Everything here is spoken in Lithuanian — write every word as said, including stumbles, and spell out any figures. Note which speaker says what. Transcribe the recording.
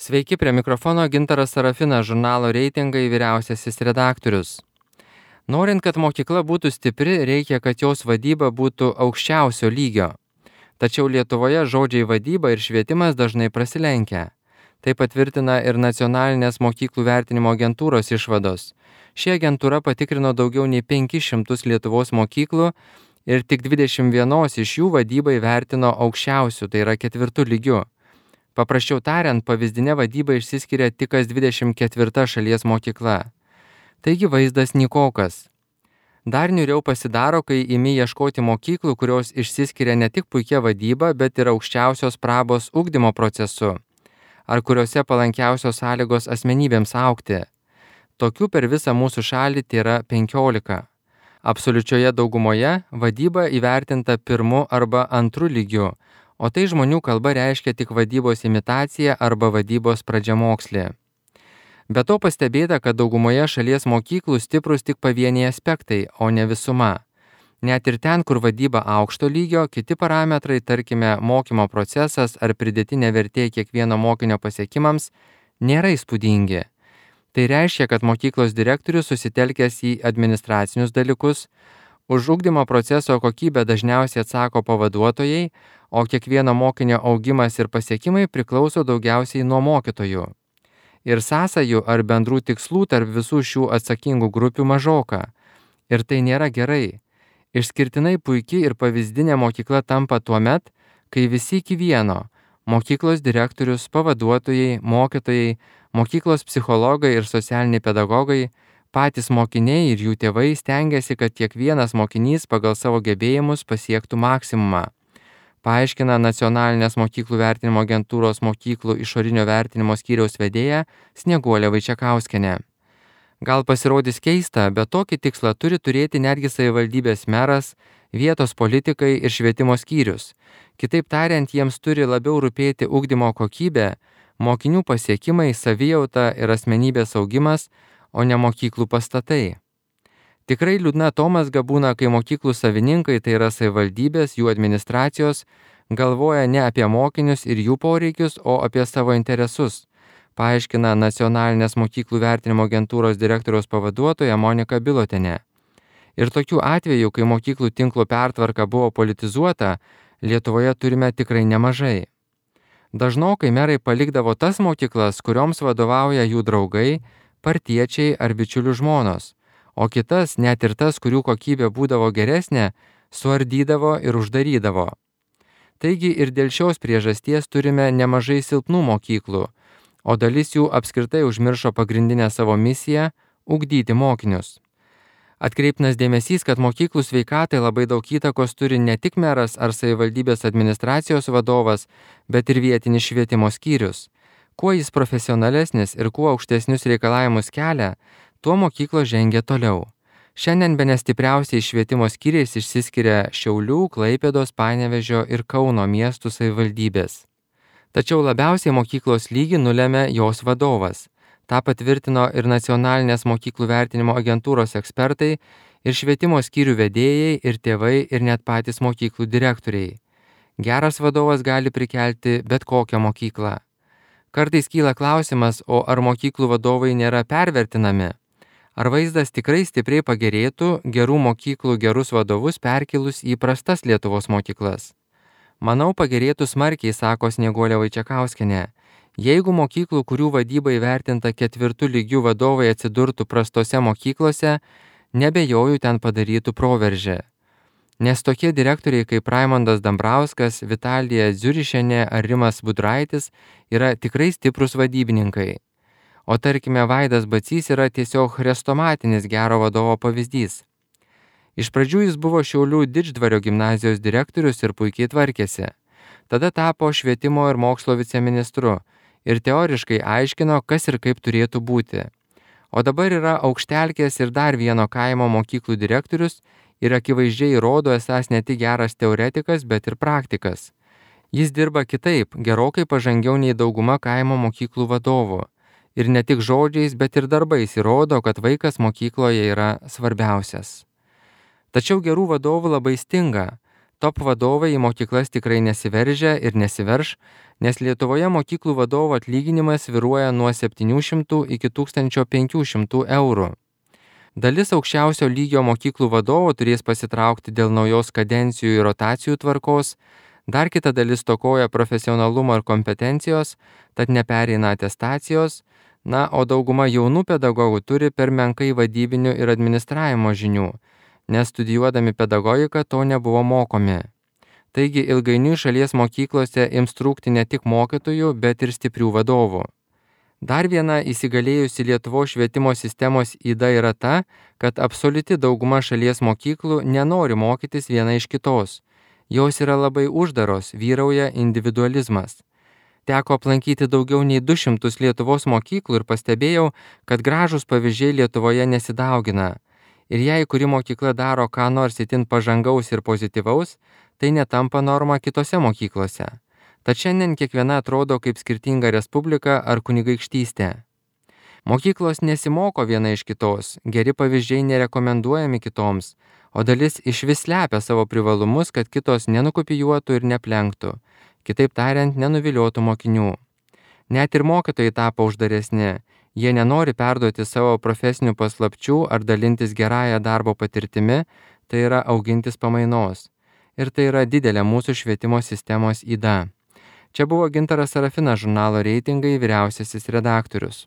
Speaker 1: Sveiki, prie mikrofono Gintaras Sarafinas, žurnalo Reitingai vyriausiasis redaktorius. Norint, kad mokykla būtų stipri, reikia, kad jos vadyba būtų aukščiausio lygio. Tačiau Lietuvoje žodžiai vadyba ir švietimas dažnai prasilenkia. Tai patvirtina ir nacionalinės mokyklų vertinimo agentūros išvados. Ši agentūra patikrino daugiau nei penkis šimtus Lietuvos mokyklų ir tik dvidešimt vienos iš jų vadybą įvertino aukščiausiu, tai yra ketvirtu lygiu. Paprasčiau tariant, pavyzdinė vadyba išsiskiria tik kas dvidešimt ketvirta šalies mokykla. Taigi vaizdas nykokas. Dar niūriau pasidaro, kai imi ieškoti mokyklų, kurios išsiskiria ne tik puikia vadyba, bet ir aukščiausios prabos ugdymo procesu, ar kuriuose palankiausios sąlygos asmenybėms augti. Tokių per visą mūsų šalį tėra penkiolika. Absoliučioje daugumoje vadyba įvertinta pirmu arba antru lygiu, o tai žmonių kalba reiškia tik vadybos imitacija arba vadybos pradžiamokslė. Be to pastebėta, kad daugumoje šalies mokyklų stiprus tik pavieniai aspektai, o ne visuma. Net ir ten, kur vadyba aukšto lygio, kiti parametrai, tarkime, mokymo procesas ar pridėtinė vertė kiekvieno mokinio pasiekimams, nėra įspūdingi. Tai reiškia, kad mokyklos direktorius susitelkęs į administracinius dalykus, už ugdymo proceso kokybę dažniausiai atsako pavaduotojai, o kiekvieno mokinio augimas ir pasiekimai priklauso daugiausiai nuo mokytojų. Ir sąsajų ar bendrų tikslų tarp visų šių atsakingų grupių mažoka. Ir tai nėra gerai. Išskirtinai puikiai ir pavyzdinė mokykla tampa tuomet, kai visi iki vieno – mokyklos direktorius, pavaduotojai, mokytojai, mokyklos psichologai ir socialiniai pedagogai, patys mokiniai ir jų tėvai stengiasi, kad kiekvienas mokinys pagal savo gebėjimus pasiektų maksimumą. Paaiškina nacionalinės mokyklų vertinimo agentūros mokyklų išorinio vertinimo skyriaus vedėja Snieguolė Vaičekauskienė. Gal pasirodys keista, bet tokį tikslą turi turėti netgi savivaldybės meras, vietos politikai ir švietimo skyrius. Kitaip tariant, jiems turi labiau rūpėti ugdymo kokybė, mokinių pasiekimai, savijauta ir asmenybės augimas, o ne mokyklų pastatai. Tikrai liūdna atomazga būna, kai mokyklų savininkai, tai yra savivaldybės, jų administracijos, galvoja ne apie mokinius ir jų poreikius, o apie savo interesus, paaiškina nacionalinės mokyklų vertinimo agentūros direktoriaus pavaduotoja Monika Bilotienė. Ir tokių atvejų, kai mokyklų tinklo pertvarka buvo politizuota, Lietuvoje turime tikrai nemažai. Dažnokai merai palikdavo tas mokyklas, kurioms vadovauja jų draugai, partiečiai ar bičiulių žmonos, o kitas, net ir tas, kurių kokybė būdavo geresnė, suardydavo ir uždarydavo. Taigi ir dėl šios priežasties turime nemažai silpnų mokyklų, o dalis jų apskritai užmiršo pagrindinę savo misiją – ugdyti mokinius. Atkreiptinas dėmesys, kad mokyklų sveikatai labai daug įtakos turi ne tik meras ar savivaldybės administracijos vadovas, bet ir vietinis švietimo skyrius. Kuo jis profesionalesnis ir kuo aukštesnius reikalavimus kelia, tuo mokyklos žengia toliau. Šiandien bene stipriausiai švietimo skyriais išsiskiria Šiaulių, Klaipėdos, Panevėžio ir Kauno miestų savivaldybės. Tačiau labiausiai mokyklos lygį nulemia jos vadovas. Ta patvirtino ir nacionalinės mokyklų vertinimo agentūros ekspertai, ir švietimo skyrių vedėjai, ir tėvai, ir net patys mokyklų direktoriai. Geras vadovas gali prikelti bet kokią mokyklą. Kartais kyla klausimas, o ar mokyklų vadovai nėra pervertinami? Ar vaizdas tikrai stipriai pagerėtų gerų mokyklų gerus vadovus perkelus į prastas Lietuvos mokyklas? Manau, pagerėtų smarkiai, sako Snieguolė Vaičekauskienė. Jeigu mokyklų, kurių vadyba įvertinta ketvirtų lygių vadovai atsidurtų prastose mokyklose, nebejoju ten padarytų proveržį. Nes tokie direktoriai kaip Raimondas Dambrauskas, Vitalija Dziurišienė ar Rimas Budraitis yra tikrai stiprus vadybininkai. O tarkime, Vaidas Bacys yra tiesiog chrestomatinis gero vadovo pavyzdys. Iš pradžių jis buvo Šiaulių Didždvario gimnazijos direktorius ir puikiai tvarkėsi. Tada tapo švietimo ir mokslo viceministru ir teoriškai aiškino, kas ir kaip turėtų būti. O dabar yra Aukštelkės ir dar vieno kaimo mokyklų direktorius ir akivaizdžiai rodo esąs ne tik geras teoretikas, bet ir praktikas. Jis dirba kitaip, gerokai pažangiau nei dauguma kaimo mokyklų vadovų. Ir ne tik žodžiais, bet ir darbais įrodo, kad vaikas mokykloje yra svarbiausias. Tačiau gerų vadovų labai stinga. Top vadovai į mokyklas tikrai nesiveržia ir nesiverš, nes Lietuvoje mokyklų vadovo atlyginimas svyruoja nuo septynių šimtų iki tūkstančio penkių šimtų eurų. Dalis aukščiausio lygio mokyklų vadovų turės pasitraukti dėl naujos kadencijų ir rotacijų tvarkos, dar kita dalis stokoja profesionalumo ir kompetencijos, tad nepereina atestacijos, na, o dauguma jaunų pedagogų turi per menkai vadybinių ir administravimo žinių, nes studijuodami pedagogiką to nebuvo mokomi. Taigi ilgainiui šalies mokyklose ims trūkti ne tik mokytojų, bet ir stiprių vadovų. Dar viena įsigalėjusi Lietuvos švietimo sistemos yda yra ta, kad absoliuti dauguma šalies mokyklų nenori mokytis viena iš kitos. Jos yra labai uždaros, vyrauja individualizmas. Teko aplankyti daugiau nei du šimtus Lietuvos mokyklų ir pastebėjau, kad gražūs pavyzdžiai Lietuvoje nesidaugina. Ir jei kuri mokykla daro ką nors itin pažangaus ir pozityvaus, tai netampa norma kitose mokyklose. Tad šiandien kiekviena atrodo kaip skirtinga respublika ar kunigaikštystė. Mokyklos nesimoko viena iš kitos, geri pavyzdžiai nerekomenduojami kitoms, o dalis išvis slepia savo privalumus, kad kitos nenukopijuotų ir neplenktų, kitaip tariant, nenuviliotų mokinių. Net ir mokytojai tapo uždaresni, jie nenori perduoti savo profesinių paslapčių ar dalintis gerąją darbo patirtimi, tai yra augintis pamainos. Ir tai yra didelė mūsų švietimo sistemos yda. Čia buvo Gintaras Sarafinas, žurnalo Reitingai vyriausiasis redaktorius.